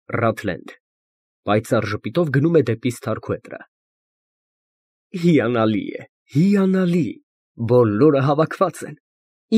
Ռաթլենդ պայծառ ժպիտով գնում է դեպի Ստարքուետրը։ Հիանալի է, հիանալի, բոլորը հավաքված են,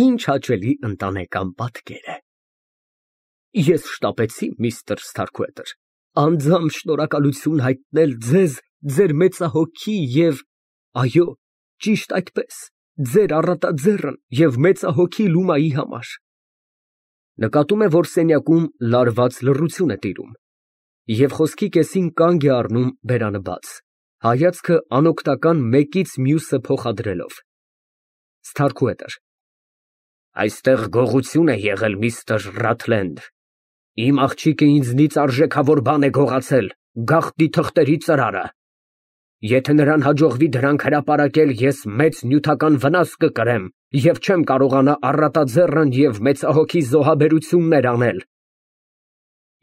ինչ հաճելի ընտանեկան պատկեր է։ Ես շտապեցի, միստր Ստարքուետր, անձամբ շնորհակալություն հայտնել ձեզ ձեր մեծահոգի և, այո, ճիշտ այդպես, ձեր առատաձեռն և մեծահոգի Լումայի համար։ Նկատում է, որ սենյակում լարված լռություն է տիրում, և խոսքի կեսին կանգ է առնում բերանը բաց, հայացքը անօգնական մեկից մյուսը փոխադրելով։ Ստարքուետր այստեղ գողություն է եղել, միստր Ռաթլենդ, իմ աղջիկը ինձնից արժեքավոր բան է գողացել, գաղտնի թղթերի ծրարը։ Եթե նրան հաջողվի դրանք հրապարակել, ես մեծ նյութական վնաս կկրեմ և չեմ կարողանա առատաձեռն և մեծահոգի զոհաբերություններ անել։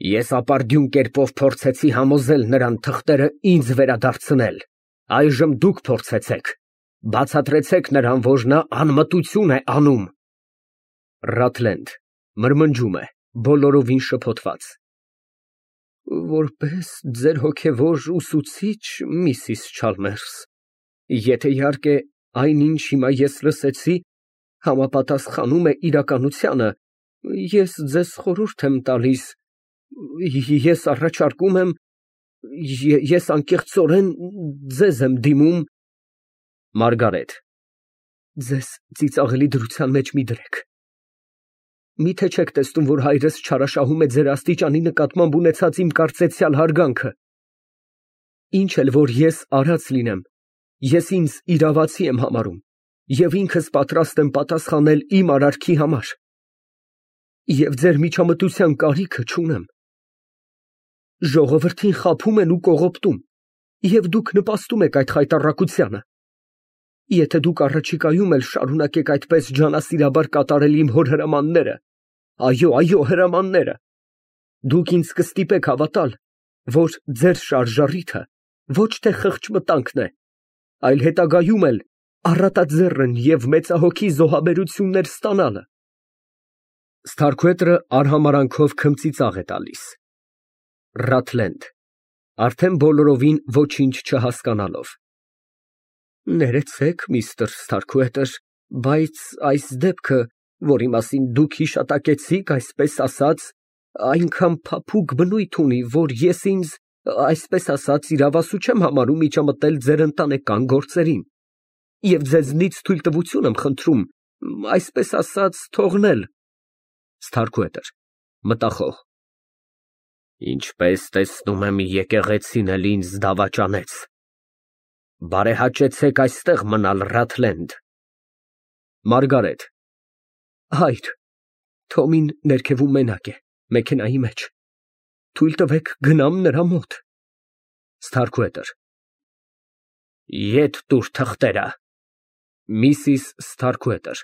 Ես ապարդյուն կերպով փորձեցի համոզել նրան թղթերը ինձ վերադարձնել, այժմ դուք փորձեցեք, բացատրեցեք նրան, որ նա անմտություն է անում։ Ռաթլենդ մրմնջում է, բոլորովին շփոթված։ Որպես ձեր հոգևոր ուսուցիչ, Միսիս Չալմերս, եթե իհարկե այն, ինչ հիմա ես լսեցի, համապատասխանում է իրականությանը, ես ձեզ խորհուրդ եմ տալիս, ես առաջարկում եմ, ես անկեղծորեն ձեզ եմ դիմում։ Մարգարետ ձեզ ծիծաղելի դրության մեջ մի դրեք։ Միթե չեք տեսնում, որ հայրս չարաշահում է ձեր աստիճանի նկատմամբ ունեցած իմ կարծեցյալ հարգանքը։ Ինչ էլ որ ես արած լինեմ, ես ինձ իրավացի եմ համարում և ինքս պատրաստ եմ պատասխանել իմ արարքի համար, և ձեր միջամտության կարիքը չունեմ։ Ժողովրդին խաբում են ու կողոպտում, և դուք նպաստում եք այդ խայտառակությանը։ Եթե դուք առաջիկայում էլ շարունակեք այդպես ջանասիրաբար կատարել իմ հոր հրամանները, այո, այո, հրամանները, դուք ինձ կստիպեք հավատալ, որ ձեր շարժառիթը ոչ թե խղճմտանքն է, այլ հետագայում էլ առատաձեռն և մեծահոգի զոհաբերություններ ստանալը։ Ստարքուետրը արհամարանքով քմծիծաղ է տալիս։ Ռաթլենդ արդեն բոլորովին ոչինչ չհասկանալով։ Ներեցեք, միստր Ստարքուետր, բայց այս դեպքը, որի մասին դուք հիշատակեցիք, այսպես ասած, այնքան փափուկ բնույթ ունի, որ ես ինձ, այսպես ասած, իրավասու չեմ համարում միջամտել ձեր ընտանեկան գործերին, և ձեզնից թույլտվություն եմ խնդրում, այսպես ասած, թողնել։ Ստարքուետր մտախոհ Ինչպես տեսնում եմ, եկեղեցին էլ ինձ դավաճանեց։ Բարեհաճեցեք այստեղ մնալ, Ռաթլենդ։ Մարգարետ հայր, Թոմին ներքևում մենակ է, մեքենայի մեջ, թույլ տվեք գնամ նրա մոտ։ Ստարքուետր Ետ տուր թղթերը։ Միսիս Ստարքուետր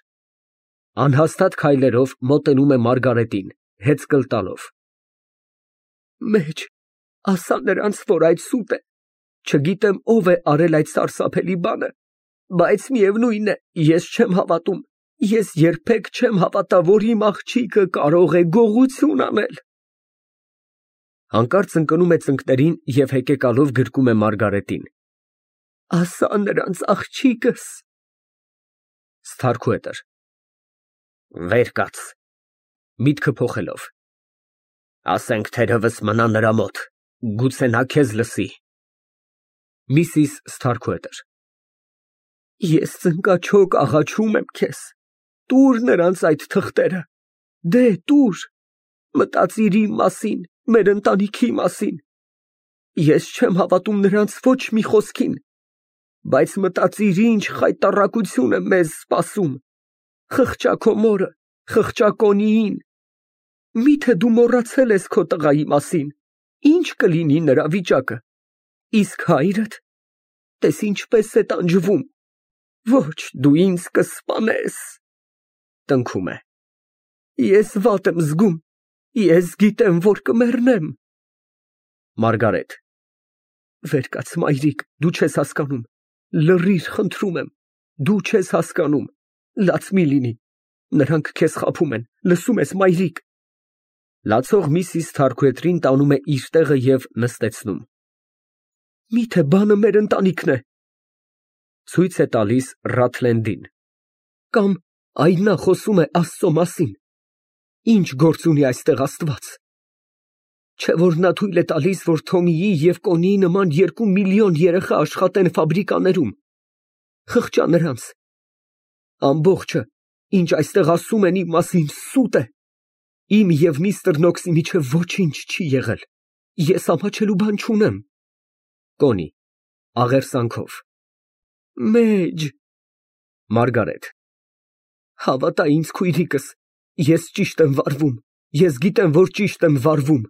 անհաստատ քայլերով մոտենում է Մարգարետին, հեծկլ տալով։ Մեջ, ասա նրանց, որ այդ սուտ է, չգիտեմ ով է արել այդ սարսափելի բանը, բայց միևնույն է, ես չեմ հավատում, ես երբեք չեմ հավատա, որ իմ աղջիկը կարող է գողություն անել։ Հանկարծ ընկնում է ծնկներին և հեկեկալով գրկում է Մարգարետին։ Ասա նրանց աղջիկս։ Ստարքուետր վեր կաց, միտքը փոխելով։ Ասենք թերևս մնա նրա մոտ, գուցե նա քեզ լսի։ Միսիս Ստարքուետր Ես ծնկաչոք աղաչում եմ քեզ, տուր նրանց այդ թղթերը, դե տուր, մտածիր իմ մասին, մեր ընտանիքի մասին։ Ես չեմ հավատում նրանց ոչ մի խոսքին, բայց մտածիր ինչ խայտառակություն է մեզ սպասում, խղճա քո մորը, խղճա Կոնիին։ Միթե դու մոռացել ես քո տղայի մասին, ինչ կլինի նրա վիճակը, իսկ հայրդ, տես ինչպես է տանջվում, ոչ դու ինձ կսպանես։ Տնքում է։ Ես վատ եմ զգում, ես գիտեմ, որ կմեռնեմ։ Մարգարետ վեր կաց, մայրիկ, դու չես հասկանում, լռիր, խնդրում եմ, դու չես հասկանում, լաց մի լինի, նրանք քեզ խաբում են, լսում ես, մայրիկ։ Լացող Միսիս Թարքուետրին տանում է իր տեղը և նստեցնում։ Միթե բանը մեր ընտանիքն է։ Ցույց է տալիս Ռաթլենդին։ Կամ այ նա խոսում է Աստծո մասին։ Ինչ գործ ունի այստեղ Աստված։ Չէ՞ որ նա թույլ է տալիս, որ Թոմիի և Կոնիի նման 2 միլիոն երեխա աշխատեն ֆաբրիկաներում։ Խղճա նրանց։ Ամբողջը, ինչ այստեղ ասում են իմ մասին, սուտ է։ Իմ և միստր Նոքսի միջև ոչինչ չի եղել։ Ես ամաչելու բան չունեմ։ Կոնի, աղերսանքով։ Մեջ։ Մարգարետ։ Հավատա ինձ, քույրիկս, ես ճիշտ եմ վարվում։ Ես գիտեմ, որ ճիշտ եմ վարվում։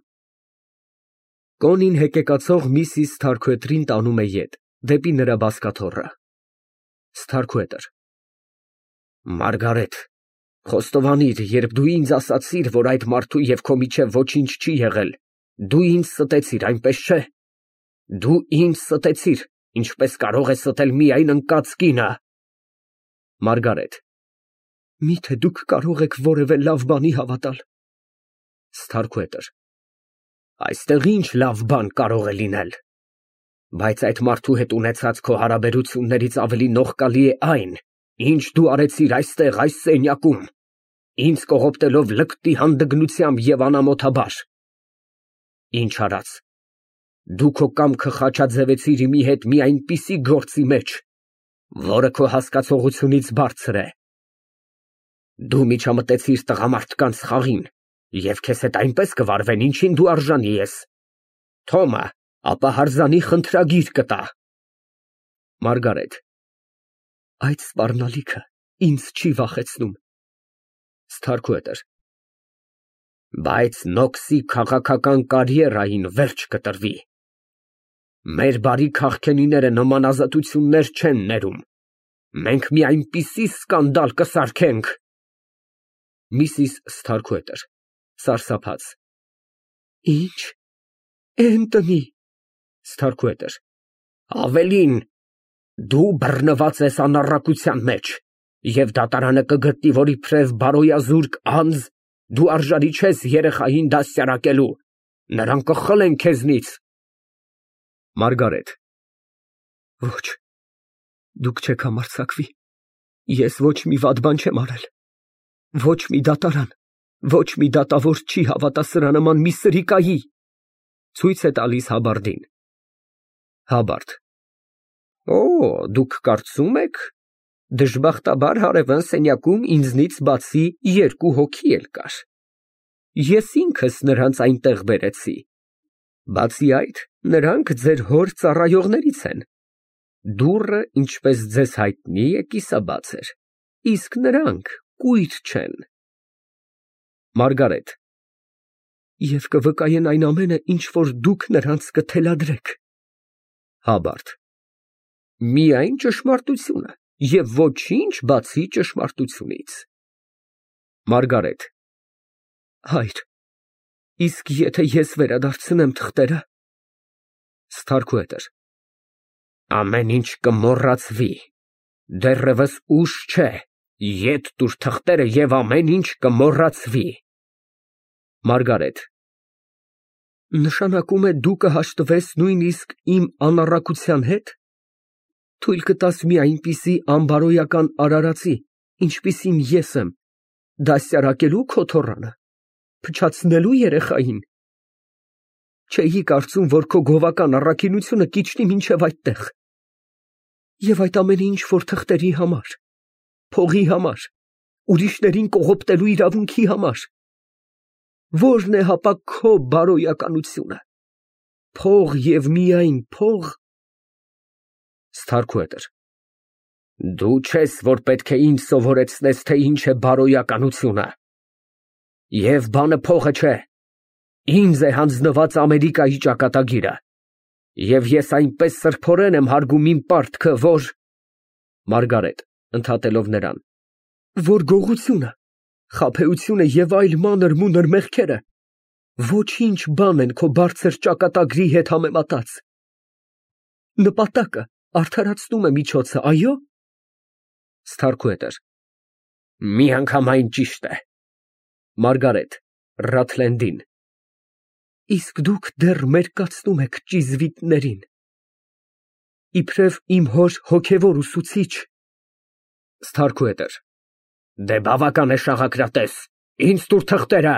Կոնին հեկեկացող Միսիս Թարքուետրին տանում է ետ, դեպի նրա բազկաթոռը։ Սթարքուետր։ Մարգարետ, խոստովանիր, երբ դու ինձ ասացիր, որ այդ մարդու և քո միջև ոչինչ չի եղել, դու ինձ ստեցիր, այնպես չէ։ Դու ինձ ստեցիր, ինչպես կարող է ստել միայն ընկած կինը։ Մարգարետ։ Միթե դուք կարող եք որևէ լավ բանի հավատալ։ Սթարքուետր։ Այստեղ ինչ լավ բան կարող է լինել։ Բայց այդ մարդու հետ ունեցած քո հարաբերություններից ավելի նողկալի է այն, ինչ դու արեցիր այստեղ, այս սենյակում, ինձ կողոպտելով լկտի հանդգնությամբ և անամոթաբար։ Ինչ արած։ Դու քո կամքը խաչաձևեցիր իմի հետ մի այնպիսի գործի մեջ, որը քո հասկացողությունից բարձր է։ Դու միջամտեցիր տղամարդկանց խաղին և քեզ հետ այնպես կվարվեն, ինչին դու արժանի ես։ Թոմը ապա հարզանի խնդրագիր կտա։ Մարգարետ։ Այդ սպառնալիքը ինձ չի վախեցնում։ Սթարքուետր։ Բայց Նոքսի քաղաքական կարիերային վերջ կտրվի։ Մեր բարի քաղքենիները նման ազատություններ չեն ներում։ Մենք մի այնպիսի սկանդալ կսարքենք։ Միսիս Սթարքուետր (սարսափած)։ Ինչ։ Էնտոնի։ Սթարքուետր։ Ավելին, դու բռնված ես անառակության մեջ, և դատարանը կգտնի, որ իբրև բարոյազուրկ անձ դու արժանի չես երեխային դաստիարակելու, նրանք կխլեն քեզնից։ Մարգարետ։ Ոչ, դուք չեք համարձակվի։ Ես ոչ մի վատ բան չեմ արել։ Ոչ մի դատարան, ոչ մի դատավոր չի հավատա սրանման մի սրիկայի։ Ցույց է տալիս Հաբարդին։ Հաբարդ։ Օ, դուք կարծում եք, դժբախտաբար հարևան սենյակում ինձնից բացի 2 հոգի էլ կար։ Ես ինքս նրանց այնտեղ բերեցի։ Բացի այդ, նրանք ձեր հոր ծառայողներից են։ Դուռը, ինչպես ձեզ հայտնի է, կիսաբաց էր, իսկ նրանք կույր չեն։ Մարգարետ։ Եվ կվկայեն այն ամենը, ինչ որ դուք նրանց կթելադրեք։ Հաբարդ։ Միայն ճշմարտությունը և ոչինչ բացի ճշմարտությունից։ Մարգարետ։ Հայր, իսկ եթե ես վերադարձնեմ թղթերը։ Սթարքուետր։ Ամեն ինչ կմոռացվի, դեռևս ուշ չէ, ետ տուր թղթերը և ամեն ինչ կմոռացվի։ Մարգարետ։ Նշանակում է դու կհաշտվես նույնիսկ իմ անառակության հետ։ Թույլ կտաս մի այնպիսի անբարոյական արարածի, ինչպիսին ես եմ, դաստիարակելու քո թոռանը, փչացնելու երեխային։ Չէի կարծում, որ քո գովական առաքինությունը կիջնի մինչև այդտեղ։ Եվ այդ ամենը ինչ որ թղթերի համար, փողի համար, ուրիշներին կողոպտելու իրավունքի համար։ Ո՞րն է հապա քո բարոյականությունը։ Փող և միայն փող։ Սթարքուետր։ Դու չես, որ պետք է ինձ սովորեցնես, թե ինչ է բարոյականությունը։ Եվ բանը փողը չէ։ Ինձ է հանձնված Ամերիկայի ճակատագիրը։ Եվ ես այնպես սրբորեն եմ հարգում իմ պարտքը, որ… Մարգարետ (ընդհատելով նրան). Որ գողությունը, խաբեությունը և այլ մանր-մունր մեղքերը ոչինչ բան են քո բարձր ճակատագրի հետ համեմատած։ Նպատակը արդարացնում է միջոցը, այո՞։ Սթարքուետր։ Միանգամայն ճիշտ է։ Մարգարետ (Ռաթլենդին) Իսկ դուք դեռ մերկացնում եք ճիզվիտներին, իբրև իմ հոր հոգևոր ուսուցիչ։ Ստարքուհետր Դե բավական է շաղակրատես, ինձ տուր թղթերը։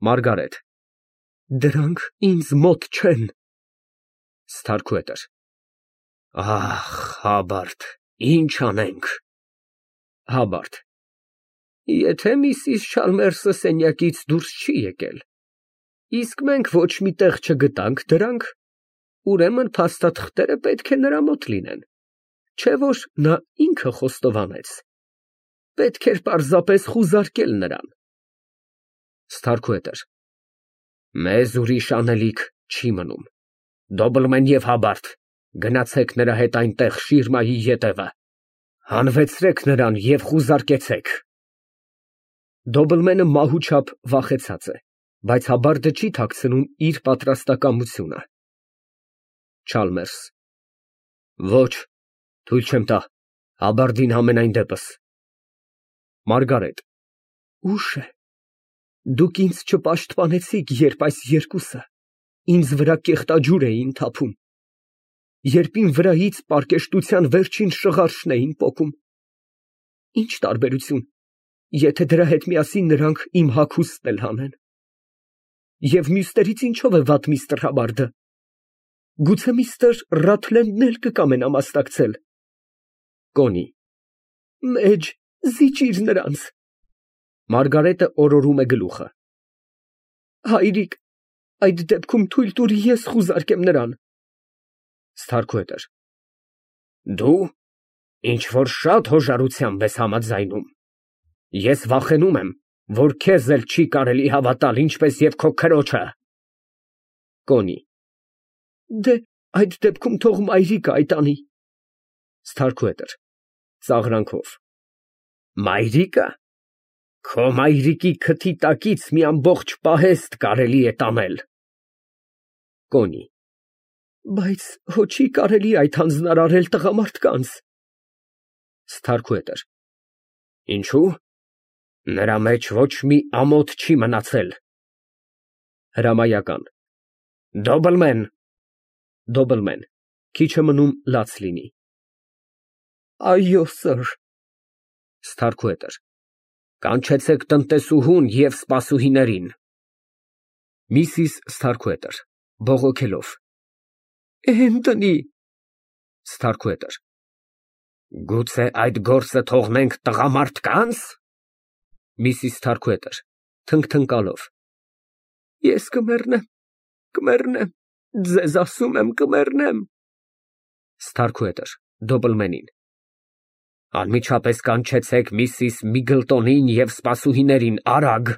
Մարգարետ Դրանք ինձ մոտ չեն։ Ստարքուհետր Ահ, Հաբարդ, ինչ անենք։ Հաբարդ Եթե միսիս Չալմերսը սենյակից դուրս չի եկել, իսկ մենք ոչ մի տեղ չգտանք դրանք, ուրեմն փաստաթղթերը պետք է նրա մոտ լինեն, չէ որ նա ինքը խոստովանեց։ Պետք էր պարզապես խուզարկել նրան։ Ստարքուհետր Մեզ ուրիշ անելիք չի մնում։ Դոբլմեն և Հաբարդ, գնացեք նրա հետ այնտեղ շիրմայի ետևը, հանվեցրեք նրան և խուզարկեցեք։ Դոբլմենը մահուչափ վախեցած է, բայց Հաբարդը չի թաքցնում իր պատրաստակամությունը։ Չալմերս Ոչ, թույլ չեմ տա, Հաբարդին համենայն դեպս։ Մարգարետ Ուշ է։ Դուք ինձ չպաշտպանեցիք, երբ այս երկուսը ինձ վրա կեղտաջուր էին թափում, երբ իմ վրայից պարկեշտության վերջին շղարշն էին պոկում։ Ինչ տարբերություն, եթե դրա հետ միասին նրանք իմ հագուստն էլ հանեն։ Եվ մյուսներից ինչով է վատ միստր Հաբարդը։ Գուցե միստր Ռաթլենդն էլ կկամենա մասնակցել։ Կոնի Մեջ, զիջիր նրանց։ Մարգարետը օրորում է գլուխը։ Հայրիկ, այդ դեպքում թույլ տուր ես խուզարկեմ նրան։ Ստարքուհետր Դու ինչ որ շատ հոժարությամբ ես համաձայնում։ Ես վախենում եմ, որ քեզ էլ չի կարելի հավատալ, ինչպես և քո քրոջը։ Կոնի Դե այդ դեպքում թող մայրիկը այդ անի։ Ստարքուհետր (Ծաղրանքով) Մայրիկը։ Քո մայրիկի քթի տակից մի ամբողջ պահեստ կարելի է տանել։ Կոնի Բայց հո չի կարելի այդ հանձնարարել տղամարդկանց։ Ստարքուհետր Ինչու՞։ Նրա մեջ ոչ մի ամոթ չի մնացել։ Հրամայական Դոբլմեն Քիչ է մնում լաց լինի։ Այո, սըր։ Ստարքուհետր Կանչեցեք տնտեսուհուն և սպասուհիներին։ Միսիս Ստարքուհետր (Բողոքելով) Էնտոնի։ Ստարքուհետր Գուցե այդ գործը թողնենք տղամարդկանց։ Միսիս Ստարքուհետր (Թնգթնկալով) Ես կմեռնեմ, ձեզ ասում եմ, կմեռնեմ։ Ստարքուհետր (Դոբլմենին) Անմիջապես կանչեցեք միսիս Միգլտոնին և սպասուհիներին, արագ։